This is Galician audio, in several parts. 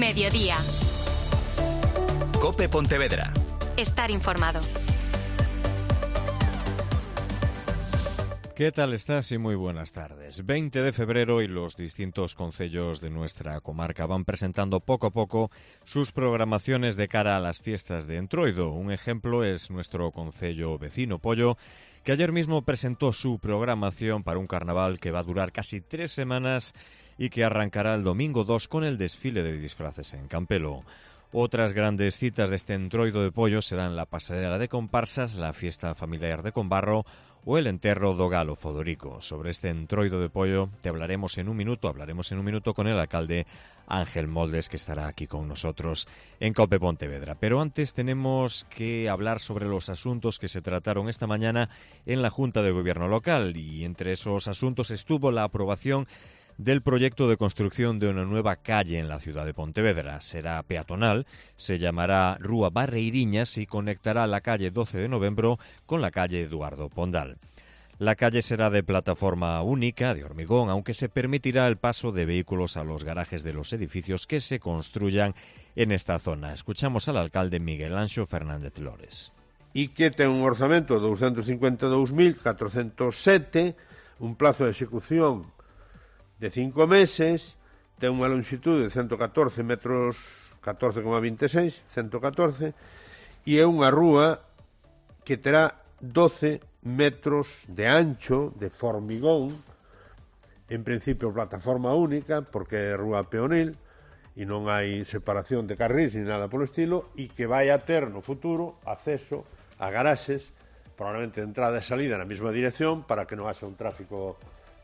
Mediodía. COPE Pontevedra. Estar informado. ¿Qué tal estás? Y muy buenas tardes. 20 de febrero y los distintos concellos de nuestra comarca van presentando poco a poco sus programaciones de cara a las fiestas de Entroido. Un ejemplo es nuestro concello vecino, Poio, que ayer mismo presentó su programación para un carnaval que va a durar casi 3 semanas y que arrancará el domingo 2 con el desfile de disfraces en Campelo. Otras grandes citas de este Entroido de Poio serán la pasarela de comparsas, la fiesta familiar de Combarro o el enterro do Galo Fodorico. Sobre este Entroido de Poio te hablaremos en un minuto con el alcalde Ángel Moldes, que estará aquí con nosotros en COPE Pontevedra. Pero antes tenemos que hablar sobre los asuntos que se trataron esta mañana en la Junta de Gobierno local, y entre esos asuntos estuvo la aprobación del proyecto de construcción de una nueva calle en la ciudad de Pontevedra. Será peatonal, se llamará Rúa Barreiriñas y conectará la calle 12 de Noviembre con la calle Eduardo Pondal. La calle será de plataforma única, de hormigón, aunque se permitirá el paso de vehículos a los garajes de los edificios que se construyan en esta zona. Escuchamos al alcalde Miguel Anxo Fernández Lores. E que ten un orzamento de 252.407, un plazo de execución de 5 meses, ten unha longitud de 114 metros, 14,26, 114, e é unha rúa que terá 12 metros de ancho, de formigón, en principio plataforma única, porque é rúa peonil, e non hai separación de carrís ni nada polo estilo, e que vai a ter no futuro acceso a garaxes, probablemente de entrada e salida na mesma dirección, para que non haxa un tráfico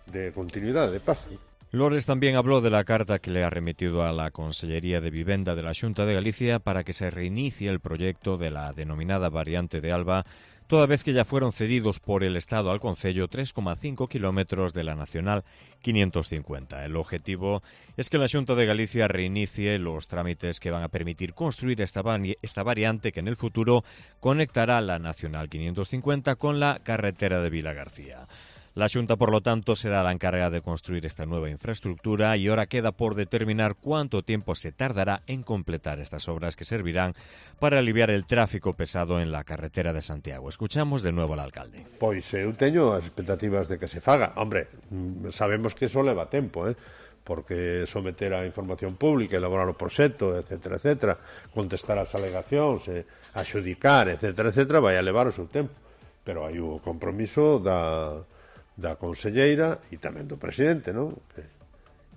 de continuidad, de paso. Lores también habló de la carta que le ha remitido a la Consellería de Vivenda de la Xunta de Galicia para que se reinicie el proyecto de la denominada variante de Alba, toda vez que ya fueron cedidos por el Estado al concello 3,5 kilómetros de la Nacional 550. El objetivo es que la Xunta de Galicia reinicie los trámites que van a permitir construir esta variante que en el futuro conectará la Nacional 550 con la carretera de Vilagarcía. La Xunta, por lo tanto, será la encargada de construir esta nueva infraestructura y ahora queda por determinar cuánto tiempo se tardará en completar estas obras que servirán para aliviar el tráfico pesado en la carretera de Santiago. Escuchamos de nuevo al alcalde. Pois eu teño as expectativas de que se faga. Hombre, sabemos que eso leva tempo, porque someter a información pública, elaborar o proxecto, etcétera, etcétera, contestar as alegacións, axudicar, etcétera, etcétera, vai a levar o seu tempo. Pero hai o compromiso da conselleira e tamén do presidente, non?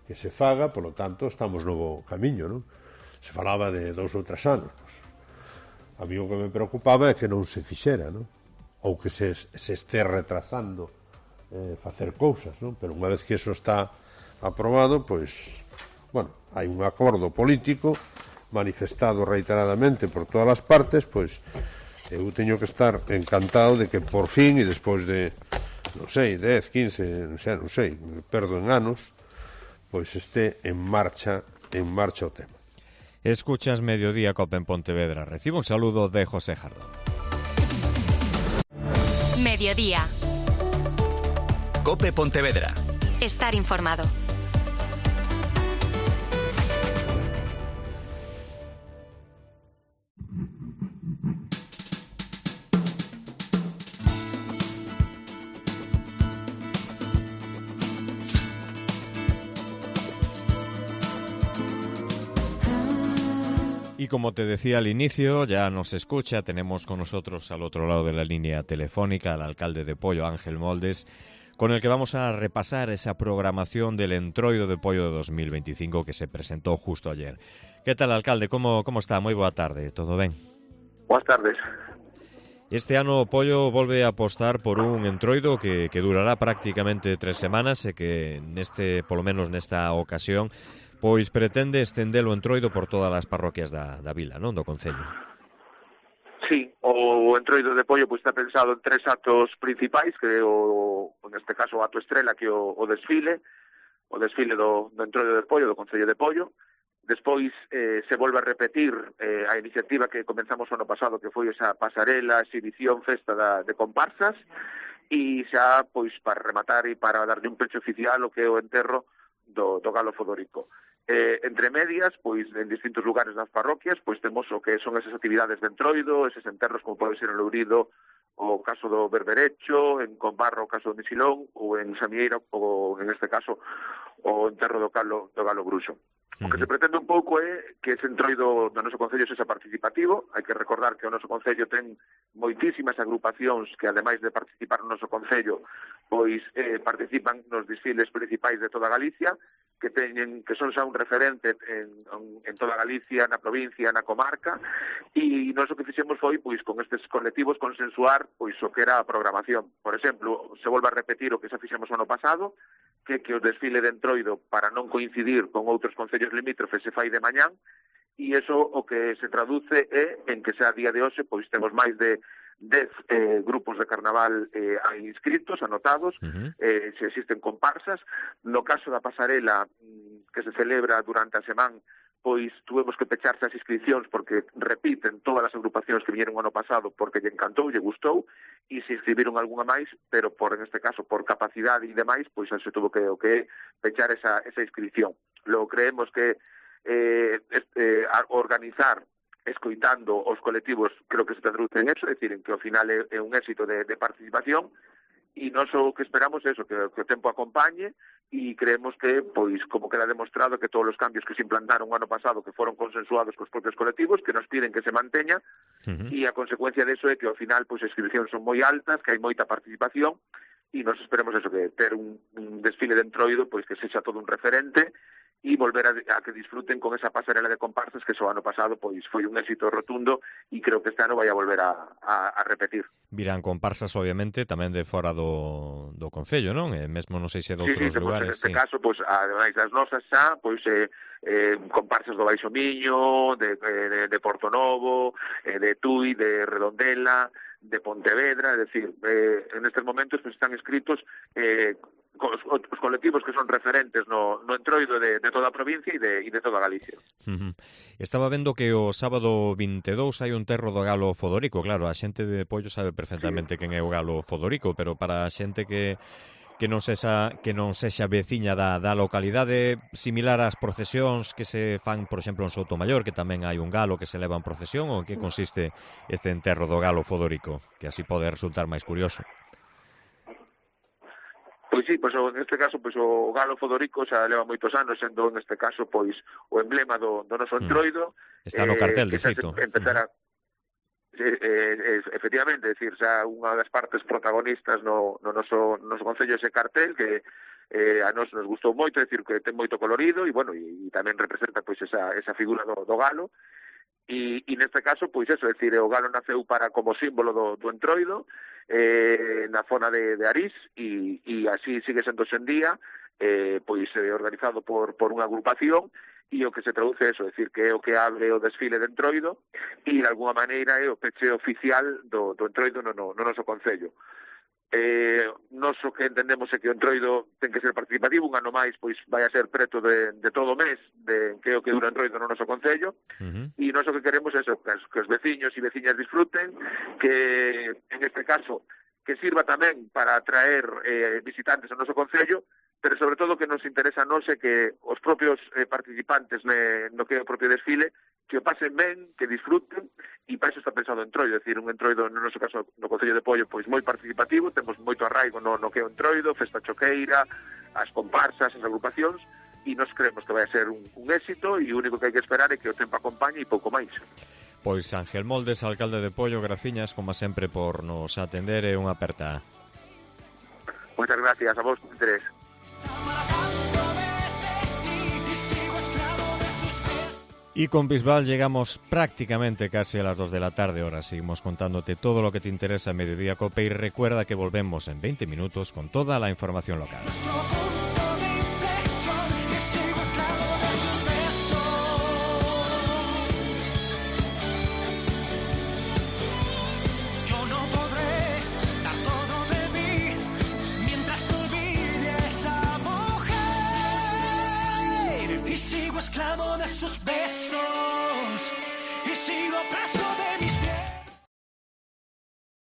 Que se faga, polo tanto, estamos no camiño, non? Se falaba de 2 ou 3 anos, pois, a mí o que me preocupaba é que non se fixera, non? Ou que se este retrasando facer cousas, non? Pero unha vez que eso está aprobado, pois, bueno, hai un acordo político manifestado reiteradamente por todas as partes, pois, eu teño que estar encantado de que por fin, e despois de non sei, 10, 15, non sei, perdo en anos, pois este en marcha o tema. Escuchas Mediodía COPE en Pontevedra. Recibo un saludo de José Jardón. Mediodía. COPE Pontevedra. Estar informado. Y como te decía al inicio, ya nos escucha, tenemos con nosotros al otro lado de la línea telefónica al alcalde de Poio, Ángel Moldes, con el que vamos a repasar esa programación del Entroido de Poio de 2025 que se presentó justo ayer. ¿Qué tal, alcalde? ¿Cómo está? Moi boa tarde, todo ben? Boas tardes. Este ano Poio volve a apostar por un Entroido que durará prácticamente 3 semanas e que polo menos nesta ocasión, pois pretende estender o Entroido por todas as parroquias da vila, non, do concello. Sí, o Entroido de Poio pois está pensado en 3 actos principais, que neste caso o acto estrela, que o desfile do Entroido de Poio, do concello de Poio. Despois se volve a repetir a iniciativa que comenzamos o ano pasado, que foi esa pasarela, exhibición, festa de comparsas, e xa, pois, para rematar e para darle un pecho oficial o que é o enterro do Galo Fodorico. Entre medias, pois en distintos lugares das parroquias, pois temos o que son esas actividades de entroido, eses enterros como pode ser en Lourido, o caso do Berberecho, en Combarro o caso do Misilón, ou en Samieira, ou en este caso o enterro do Galo Bruxo. O que se pretende un pouco é que ese entroido do noso concello sexa participativo. Hai que recordar que o noso concello ten moitísimas agrupacións que, ademais de participar no noso concello, pois participan nos desfiles principais de toda Galicia, que son xa un referente en toda Galicia, na provincia, na comarca, e nós o que fixemos foi, pois, con estes colectivos consensuar pois o que era a programación. Por exemplo, se volve a repetir o que xa fixemos o ano pasado, que o desfile de entroido, para non coincidir con outros concellos limítrofes, se fai de mañán, e iso o que se traduce é en que xa a día de hoxe pois temos máis de 10 grupos de carnaval inscritos, anotados, se existen comparsas. No caso da pasarela que se celebra durante a semana, pois tuvemos que pecharse as inscripcións porque repiten todas as agrupacións que viñeron o ano pasado porque lle encantou, lle gustou, e se inscribiron algunha máis, pero en este caso por capacidade e demais, pois se tuvo que pechar esa inscripción. Logo creemos que organizar escoitando os colectivos, creo que se traduce en eso, é dicir, en que ao final é un éxito de participación, e nós o que esperamos é eso, que o tempo acompañe, e creemos que, pois, como queda demostrado, que todos os cambios que se implantaron o ano pasado, que foron consensuados cos propios colectivos, que nos piden que se manteña, e a consecuencia deso é que ao final, pois, as inscripcións son moi altas, que hai moita participación, e nós esperemos eso, que ter un desfile de entroido, pois, que sexa todo un referente, e volver a que disfruten con esa pasarela de comparsas que o ano pasado pois foi un éxito rotundo, e creo que este ano vai a volver a repetir. Virán comparsas, obviamente, tamén de fora do concello, non? Mesmo non sei se de outros lugares. Neste caso, pois, ademais das nosas xa, pois comparsas do Baixo Miño, de Porto Novo, de Tui, de Redondela, de Pontevedra, é dicir, en estes momentos pois, están escritos os colectivos que son referentes no entroido de toda a provincia e de toda Galicia. Estaba vendo que o sábado 22 hai un enterro do Galo Fodorico. Claro, a xente de Pollo sabe perfectamente quen é o Galo Fodorico, pero para a xente que non sexa veciña da localidade, similar ás procesións que se fan, por exemplo, en Soutomaior, que tamén hai un galo que se leva en procesión, ou en que consiste este enterro do Galo Fodorico, que así pode resultar máis curioso. Pois sí, pois en este caso pois o Galo Fodorico xa leva moitos anos sendo en este caso pois o emblema do noso entroido. Está no cartel, de feito. Efectivamente, é dicir, xa unha das partes protagonistas no noso concello ese cartel que a nos gustou moito, é dicir, que ten moito colorido e bueno, e tamén representa pois esa figura do galo. E neste caso, pois eso, é dicir, o galo naceu como símbolo do entroido na zona de Arís e así sigue sendo hoxe en día, pois organizado por unha agrupación, e o que se traduce eso, é dicir, que é o que abre o desfile de entroido e de alguma maneira é o peche oficial do entroido no noso concello. Nós o que entendemos é que o entroido ten que ser participativo, un ano máis pois vai a ser preto de todo o mes que é o que dura o entroido no noso concello, e nós o que queremos é eso, que os veciños e veciñas disfruten, que en este caso que sirva tamén para atraer visitantes ao noso concello, pero sobre todo que nos interesa a nós é que os propios participantes no que é o propio desfile que o pasen ben, que disfruten, e para iso está pensado o entroido, é dicir, un entroido, no noso caso, no Concello de Pollo, pois moi participativo, temos moito arraigo no que é o entroido, festa choqueira, as comparsas, as agrupacións, e nos creemos que vai a ser un éxito, e o único que hai que esperar é que o tempo acompañe e pouco máis. Pois Ángel Moldes, alcalde de Pollo, graciñas, como sempre, por nos atender, e unha aperta. Moitas gracias a vos por interés. Y con Bisbal llegamos prácticamente casi a las 2 de la tarde. Ahora seguimos contándote todo lo que te interesa en Mediodía Cope, y recuerda que volvemos en 20 minutos con toda la información local. Esclavo de sus besos y sigo preso.